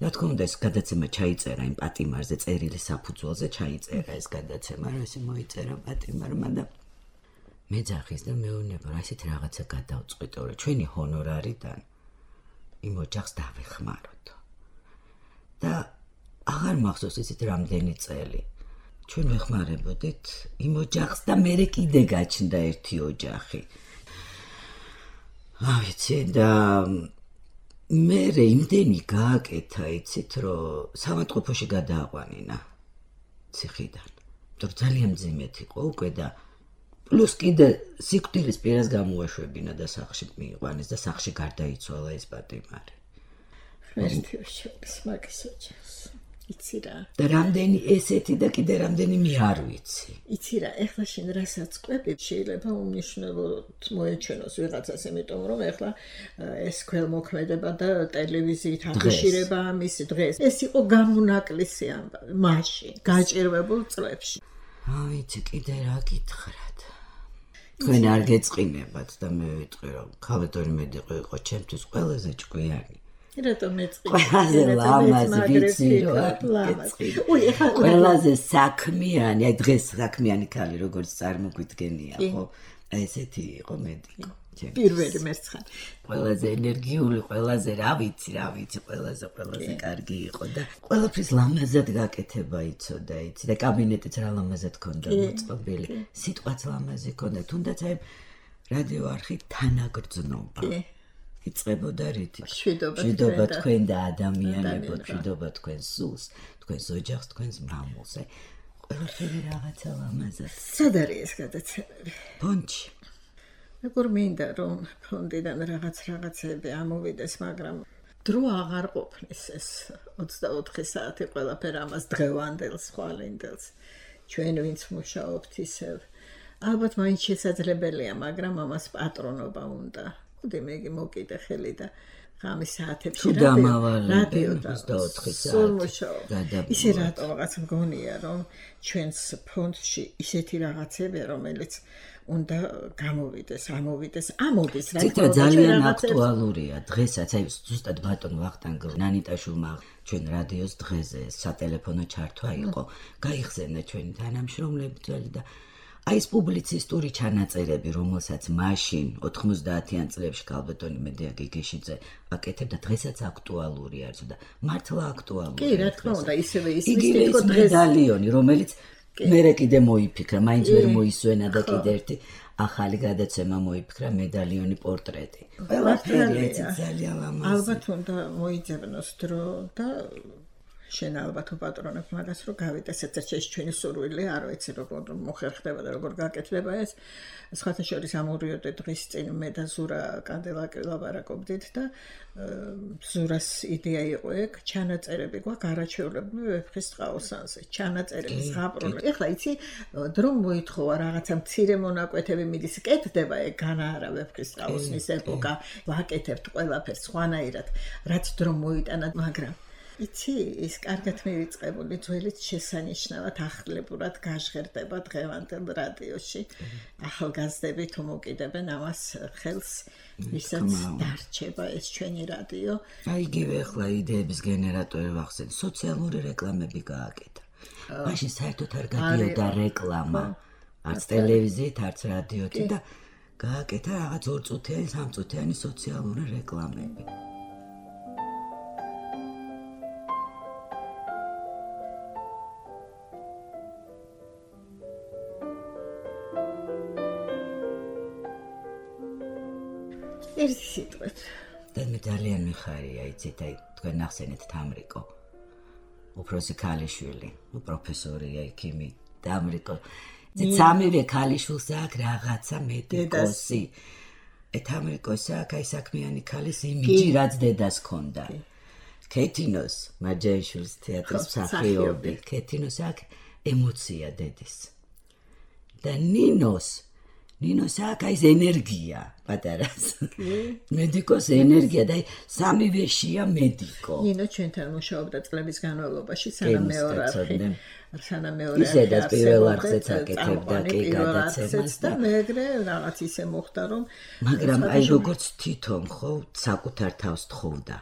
რა თქმა უნდა ეს გადაცემა ჩაიწერა იმ პატიმარზე წერილი საფუძველზე ჩაიწერა ეს გადაცემა რომ ესე მოიწერა პატიმარმა და მეძახის და მეუბნება რა ისეთ რაღაცა გადავწყვიტო რომ ჩვენი ჰონორარიდან იმ ოჯახს დავეხმაროთ და აღარ მახსოვს ისეთ რამდენი წელი ჩვენ ვეხმარებოდით იმ ოჯახს და მე კიდე გაჩნდა ერთი ოჯახი ვიცი და მე იმდენი გააკეთა, იცით, რომ სამატყოფოში გადააყვანინა ციხიდან. თორ ძალიან მძიმედ იყო უკვე და პლუს კიდე სიკვდილის პირას გამოაშვებინა და სახლში მიიყვანეს და სახლში გარდაიცვალა ეს პატიმარი. ღმერთიოს მაგის ოჯახს. იცი რა. და რამდენი ესეთი და კიდე რამდენი მე არ ვიცი. იცი რა, ეხლა შენ რასაც ყვები, შეიძლება უმნიშვნელოდ მოეჩვენოს ვიღაცას, იმიტომ რომ ეხლა ეს ქველმოქმედება და ტელევიზიით აფიშირება ამის დღეს. ეს იყო გამონაკლისი ამბავი, მაშინ, გაჭირვებულ წლებში. ვიცი, კიდე რა გითხრათ. თქვენ არ გეწყინებათ და მე ვიტყვი რომ ქალბატონი მედიყვი იყო ჩემთვის ყველაზე ჭკვიანი. რატომ მეწყინე? ყველაზე ლამაზი ვიცი რა. ყველაზე საქმიანი, აი დღეს საქმიანი ქალი როგორც წარმოგვიდგენია, ხო? ესეთი იყო მედიკო. პირველი მერცხან. ყველაზე ენერგიული, ყველაზე რა ვიცი, ყველაზე კარგი იყო და ყველაფრის ლამაზად გაკეთება იცოდა, იცი და კაბინეტიც რა ლამაზად ქონდა მოწყობილი. სიტყვაც ლამაზი ქონდა, თუნდაც აი რადიო არხი თანაგრძნობა. იწყებოდა რითი? მშვიდობა თქვენ და ადამიანებო, მშვიდობა თქვენ სულს, თქვენს ოჯახს, თქვენს მამულს. ყველაფერი რაღაცა ლამაზად. სად არის ეს გადაცემები? ფონდში. როგორ მინდა რომ ფონდიდან რაღაცები ამოვიდეს, მაგრამ დრო აღარ ყოფნის ეს 24 საათი ყველაფერი ამას დღევანდელს, ხვალინდელს. ჩვენ ვინც მუშაობთ ისევ. ალბათ მაინც შესაძლებელია, მაგრამ ამას პატრონობა უნდა. ხუდი მეგი მოკიდე ხელი და ღამის საათებში რადიო 24 საათი. ისე რატო რაღაც მგონია რომ ჩვენს ფონდში ისეთი რაღაცებია, რომელიც უნდა გამოვიდეს, ამოდის რა. ციტა ძალიან აქტუალურია დღესაც, აი ზუსტად ბატონ ვახტანგ ნანიტაშვილმა ჩვენ რადიოს დღეზე სატელეფონო ჩართვა იყო. გაიხსენა ჩვენი თანამშრომლები და აი ეს პუბლიცისტური ჩანაწერები, რომელსაც მაშინ 90-იან წლებში ქალბატონი მედია გიგიშიძე აკეთებდა, დღესაც აქტუალური არის და მართლა აქტუალურია. კი, რა თქმა უნდა, ისევე ის თითქოს მედალიონი, რომელიც მერე კიდე მოიფიქრა, მაინც ვერ მოისვენა და კიდე ერთი ახალი გადაცემა მოიფიქრა, მედალიონი პორტრეტი. ყველაფერი ძალიან ლამაზი. ალბათ უნდა მოიძებნოს დრო და შენ ალბათ უპატრონებ მაგას, რომ გავიდეს ერთ-ერთი ეს ჩვენი სურვილი, არ ვიცი როგორ მოხერხდება და როგორ გაკეთდება ეს. სხვათა შორის ამორიოდე დღის წინ მე და ზურა კანდელაკი ლაპარაკობდით და ზურას იდეა იყო ეგ, ჩანაწერები გვაქვს არაჩვეულებრივი ვეფხის ტყაოსანზე, ჩანაწერები ზღაპრული. ეხლა იცი, დრო მოითხოვა რაღაცა მცირე მონაკვეთები მიდის, კეთდება ეგ განა არა ვეფხის ტყაოსნის ეპოქა, ვაკეთებთ ყველაფერს სხვანაირად, რაც დრო მოიტანა, მაგრამ იცი, ის კარგად მივიწყებული ძველით შესანიშნავად ახლებურად გაჟღერდება დღევანდელ რადიოში. ახალგაზრდები თუ მოკიდებენ ამას ხელს, ვისაც დარჩება ეს ჩვენი რადიო. აი იგივე ახლა იდეების გენერატორი ვახსენე, სოციალური რეკლამები გააკეთა. მაშინ საერთოდ არ გადიოდა რეკლამა, არც ტელევიზიით, არც რადიოთი და გააკეთა რაღაც 2 წუთიანი, 3 წუთიანი სოციალური რეკლამები. ერთი სიტყვით. და მე ძალიან მიხარია, იცით, აი თქვენ ახსენეთ თამრიკო. უფროსი ქალიშვილი, პროფესორია იქიმი, თამრიკო. სამივე ქალიშვილს აქვს რაღაცა მედიკოსი. თამრიკოს აქვს აი საქმიანი ქალის იმიჯი, რაც დედას ჰქონდა. ქეთინოს მარჯანიშვილის თეატრის მსახიობი. ქეთინოს აქვს ემოცია დედის. და ნინოს აქვს ეს ენერგია პატარას. მედიკოს ენერგია და სამივე შია მედიკო. ნინო ჩვენთან მუშაობდა წლების განმავლობაში, სანამ მეორე არხი ისედაც პირველ არხზეც აკეთებდა კი გადაცემას და მეგრე რაღაც ისე მოხდა რომ მაგრამ აი როგორც თვითონ ხო საკუთარ თავს თხოვდა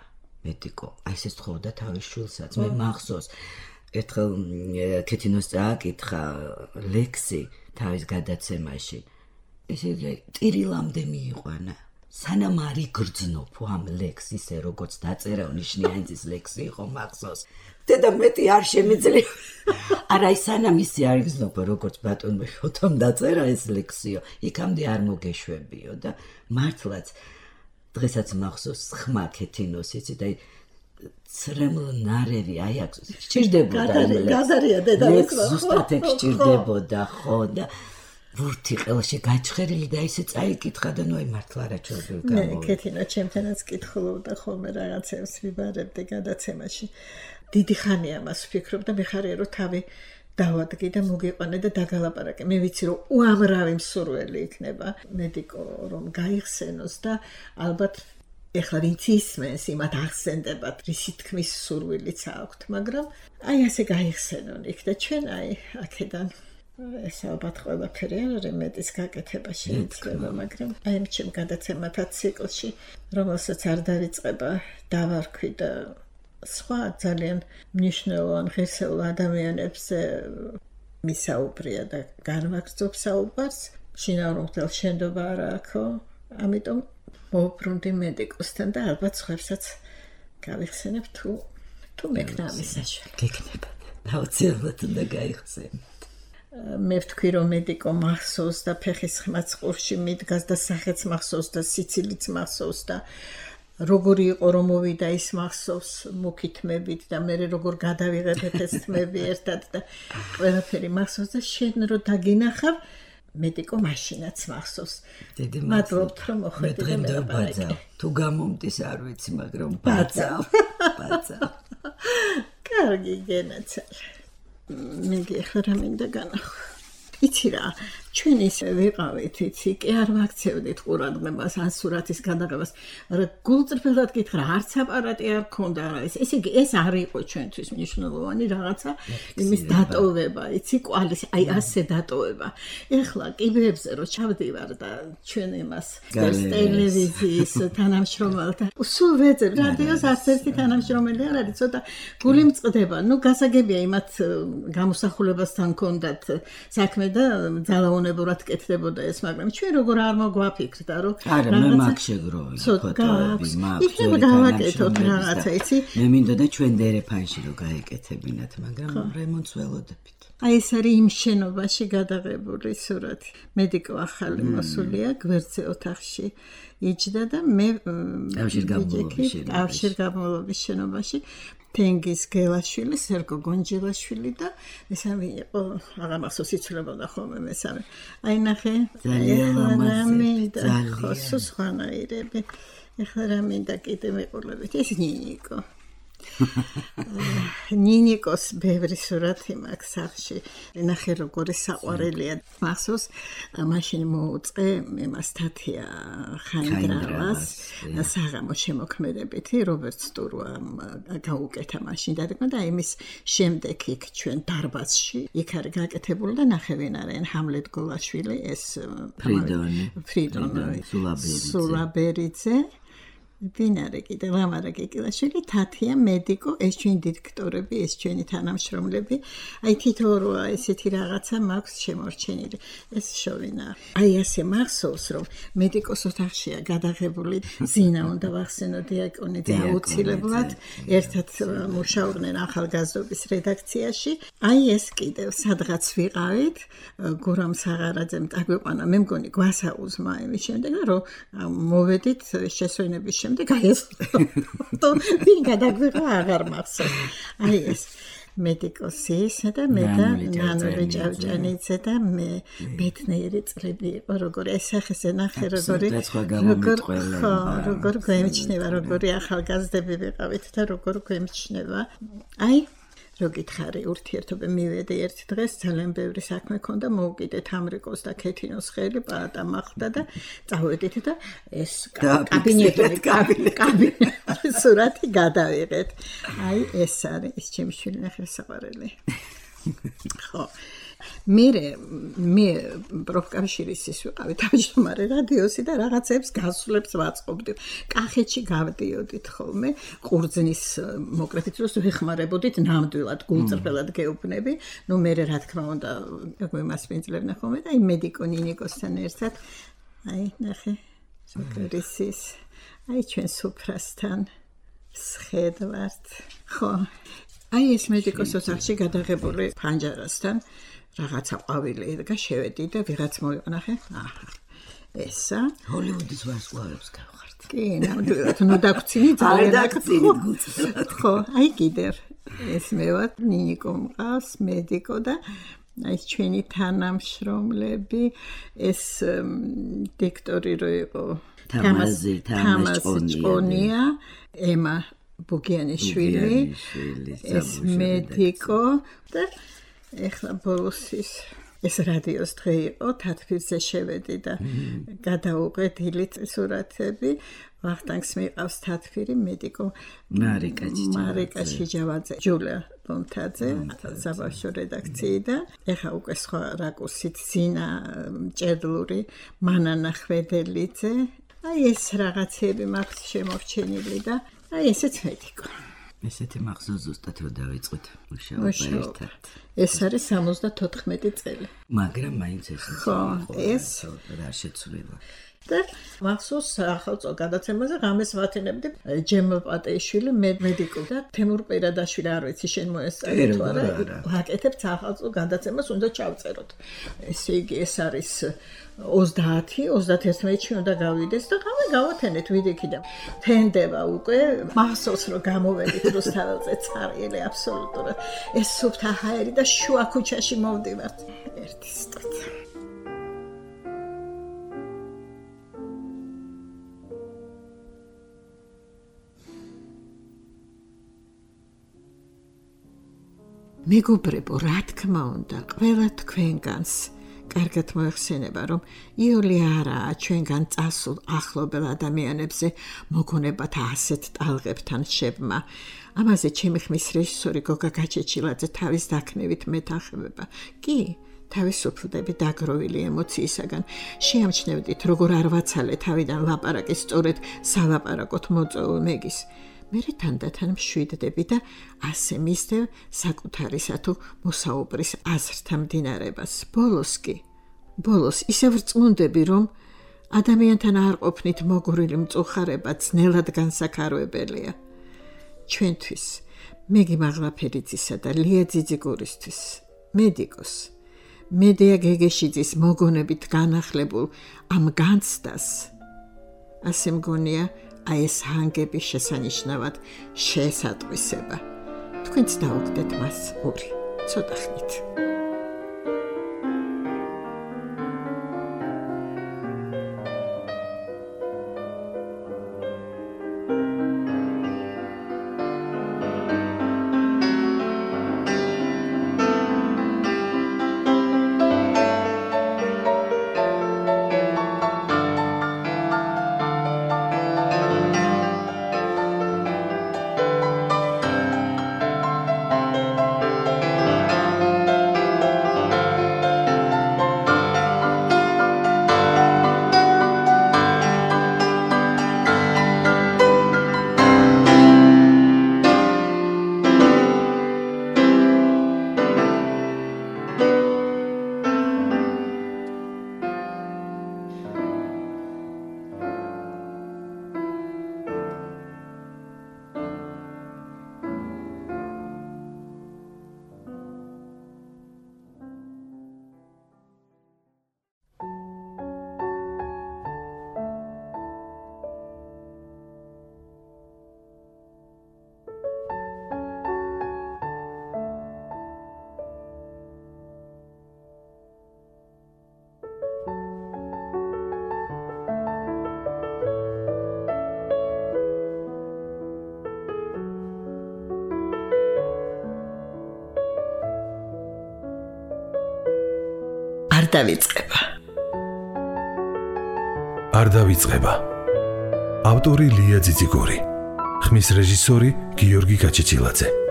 მედიკო. აი ესე თხოვდა თავის შვილსაც. მე მახსოვს ერთხელ ქეთინოს წააკითხა ლექსი თავის გადაცემაში. ესე ტირილამდე მიიყვანა. სანამ არ იგრძნობ ამ ლექსს ისე როგორც დაწერა ნიშნიანძის ლექსი იყო მახსოვს. და მეტი არ შემიძლია. არა ის სანამ ისე არ იგრძნობ როგორც ბატონმა შოთომ დაწერა ეს ლექსიო, იქამდე არ მოგეშვებიო და მართლაც დღესაც მახსოვს ხმა ქეთინოს იცით აი ცრემლ ნარევი აი აქ სჭირდებოდა გაზარია დედალს ზუსტად ეგ სჭირდებოდა ხო და ვურთი ყელში გაჩხერილი და ისე წაიკითხა და ნუ აი მართლა რა ჩორბი გამოვიდა. ქეთინა ჩემთანაც კითხულობდა ხოლმე რაღაცებს ვიბარებდი გადაცემაში. დიდი ხანია მას ვფიქრობ და მიხარია რომ თავი დავადგი და მოგიყვანე და დაგალაპარაკე. მე ვიცი რომ უამრავი მსურველი იქნება მედიკო რომ გაიხსენოს და ალბათ ეხლა ვინც ისმენს იმათ ახსენდებათ რისი თქმის სურვილიც აქვთ, მაგრამ აი ასე გაიხსენონ იქ და ჩვენ აი აქედან ეს ალბათ ყველაფერი არ არის მეტის გაკეთება შეიძლება, მაგრამ აი ჩემ გადაცემათა ციკლში, რომელსაც არ დავიწყება დავარქვი და სხვა ძალიან მნიშვნელოვან ღირსეულ ადამიანებზე მისაუბრია და განვაგრძობ საუბარს, შინაურ მღვდელს შენდობა არ აქვს, ამიტომ მოვუბრუნდი მედიკოსთან და ალბათ სხვებსაც გავიხსენებ თუ მექნა ამის საშუალება. გეკნება. აუცილებლად უნდა გაიხსენოთ. მე ვთქვი რომ მედიკო მახსოვს და ფეხის ხმაც ყურში მიდგას და სახეც მახსოვს და სიცილიც მახსოვს და როგორი იყო რომ მოვიდა ის მახსოვს მუქი თმებით და მე როგორ გადავიღებეთ ეს თმები ერთად და ყველაფერი მახსოვს და შენ რო დაგინახავ მედიკო მაშინაც მახსოვს. მადლობთ რომ მოხვედით და ბაძავ. თუ გამომდის არ ვიცი, მაგრამ ბაძავ. კარგი გენაცალ. მე ახლა რა მინდა განახო. იცი რა, ჩვენ ისე ვიყავით, იცი, კი არ ვაქცევდით ყურადღებას ან სურათის გადაღებას, მაგრამ გულწრფელად გითხრა, არც აპარატი არ ქონდა რა ეს. ესე იგი, ეს არ იყო ჩვენთვის მნიშვნელოვანი რაღაცა, იმის დატოვება, იცი, კვალის, აი ასე დატოვება. ეხლა კიბეებზე რო ჩავდივარ და ჩვენ იმას ტელევიზიის თანამშრომელთა სულ ვეძებ, რადიოს არც ერთი თანამშრომელი არ არის, ცოტა გული მწყდება. ნუ გასაგებია იმათ გამოსახულებასთან ქონდათ საქმე და ძალაუნებურად კეთდებოდა ეს, მაგრამ ჩვენ როგორ არ მოგვაფიქრდა, რომ არა, მე მაგ შეგროვი ფოტოები, იქნება გავაკეთოთ რაღაცა, იცი? მე მინდოდა და ჩვენ დერეფანში რომ გაეკეთებინათ, მაგრამ რემონტს ველოდებით. აი ეს არის იმ შენობაში გადაღებული სურათი. მედიკო ახალი მოსულია გვერდზე ოთახში იჯდა და მე ავშირგაბმულობის შენობაში თენგიზ გელაშვილი, სერგო გონჯილაშვილი და მესამე იყო აღარ მახსოვს იცვლებოდა ხოლმე მესამე. აი ნახე, ძალიან ლამაზი, ხო სხვანაირები. ეხლა რა მინდა კიდე მეყოლებით, ეს ნინიკო. ნინიკოს ბევრი სურათი მაქვს სახში. ნახე როგორი საყვარელია. მახსოვს მაშინ მოუწყე იმას თათია ხაინდრავას საღამო შემოქმედებითი რობერტ სტურვამ გაუკეთა მაშინ და იმის შემდეგ იქ ჩვენ დარბაზში იქ არის გაკეთებული და ნახე ვინ არიან ჰამლეტ გოლაშვილი ეს ფრიდონი სულაბერიძე ვინარე კიდე ლამარა გეკილაშვილი თათია მედიკო ეს ჩვენი დირექტორები ეს ჩვენი თანამშრომლები აი თითოეულმა ესეთი რაღაცა მაქვს შემორჩენილი ეს შოვინა აი ასე მახსოვს რომ მედიკოს ოთახშია გადაღებული ზინა უნდა ვახსენო დიაკონიძე აუცილებლად ერთად მუშაობდნენ ახალგაზრდობის რედაქციაში აი ეს კიდევ სადღაც ვიყავით გურამ საღარაძემ დაგვიყვანა მე მგონი გვასაუზმა იმის შემდეგ რომ მოვედით შესვენების შემდეგ აი ეს ფოტო ვინ გადაგვიღო აღარ მახსოვს აი ეს მედიკოსისა და მე და ნანური ჭავჭანიძე და მე ბედნიერი წლები იყო როგორ ეს ახესე ნახე როგორ გვემჩნევა როგორი ახალგაზრდები ვიყავით და როგორ გვემჩნევა აი რო გითხარი ურთიერთობა მივედი ერთ დღეს ძალიან ბევრი საქმე ქონდა მოვუკიდეთ ამრიკოს და ქეთინოს ხელი პალატა მახვდა და წავედით და ეს კაბინეტი სურათი გადავიღეთ აი ეს არის ეს ჩემი შვილი ნახე საყვარელი ხო მე პროფკავშირის ის ვიყავი თავმჯდომარე რადიოსი და რაღაცებს გასვლებს ვაწყობდი. კახეთში გავდიოდით ხოლმე ყურძნის მოკრეფით დროს ვეხმარებოდით ნამდვილად გულწრფელად გეუბნები. ნუ მე რა თქმა უნდა გვემასპინძლებნა ხოლმე და აი მედიკო ნინიკოსთან ერთად აი ნახე სოკრისის აი ჩვენ სუფრასთან სხედვართ. ხო აი ეს მედიკოს ოთახში გადაღებული ფანჯარასთან რაღაცა ყვავილი და შევედი და ვიღაც მოიყნახე. აჰა. ესა. ჰოლივუდის ვარსკვლავებს გავხართ. კი, ნამდვილად, ნუ დაგწინი ძალიან დაგწინით გუწევთ. ხო, აი კიდევ ეს მე ვარ ნინიკო მყავს, მედიკო და აი ჩვენი თანამშრომლები ეს დიქტორი რო იყო თამაზ ჭონია, ემა ბუგიანიშვილი, ეს მედიკო და ეხლა ბოლოს ეს რადიოს დღე იყო, თათბირზე შევედი და გადავუყე დილით სურათები, ვახტანგს მიყავს თათბირი, მედიკო მარიკა ჩიჯავაძე, ჯულია ბომთაძე, საბავშვო რედაქციიდან. ეხლა უკვე სხვა რაკურსით ზინა ჭედლური, მანანა ხვედელიძე. აი ეს რაღაცები მაქვს შემორჩენილი და აი ესეც მედიკო. ესეთი მახსოვს ზუსტად რომ დავიწყოთ მუშაობა ერთად. ეს არის 74 წელი. მაგრამ მაინც ეს რა შეცვლილა. და მახსოვს სახელმწიფო გადაცემაზე ღამეს ვათინებდი ჯემ პატეიშვილი მედიკო და თემურ პირადაშვილი არ ვიცი შენ მოესწარი თუ არა ვაკეთებთ სახელმწიფო გადაცემას უნდა ჩავწეროთ. ესე იგი ეს არის 30-31-ში უნდა გავიდეს და ღამე გავათენეთ ვიდექი და თენდება უკვე მახსოვს რომ გამოვედით რუსთაველზე ცარიელი აბსოლუტურად ეს სუფთა ჰაერი და შუა ქუჩაში მოვდივართ ერთი სტოთ. მეგობრებო, რა თქმა უნდა, ყველა თქვენგანს კარგად მოეხსენება, რომ იული არაა ჩვენგან წასულ ახლობელ ადამიანებზე მოგონებათ ასეთ ტალღებთან შებმა. ამაზე ჩემი ხმის რეჟისორი გოგა გაჩეჩილაძე თავის დაქნევით მეთანხმება. კი, თავისუფლდები დაგროვილი ემოციისაგან. შეამჩნევდით, როგორ არ ვაცალე თავიდან ლაპარაკი სწორედ სალაპარაკოთ მოწვეულ მეგის. მერე თანდათან მშვიდდები და ასე მისდევ საკუთარისა თუ მოსაუბრის აზრთა მდინარებას. ბოლოს ისევ რწმუნდები, რომ ადამიანთან არ ყოფნით მოგურილი მწუხარება ძნელად განსაკარვებელია. ჩვენთვის, მეგი მაღლაფერიძისა და ლია ძიძიგურისთვის, მედიკოს, მედია გეგეშიძის მოგონებით განახლებულ ამ განცდას, ასე მგონია, აი ეს ჰანგები შესანიშნავად შეესატყვისება. თქვენც დაუგდეთ მას ორი, ცოტა ხნით. არ დავიწყება. ავტორი ლია ძიძიგური. ხმის რეჟისორი გიორგი გაჩეჩილაძე.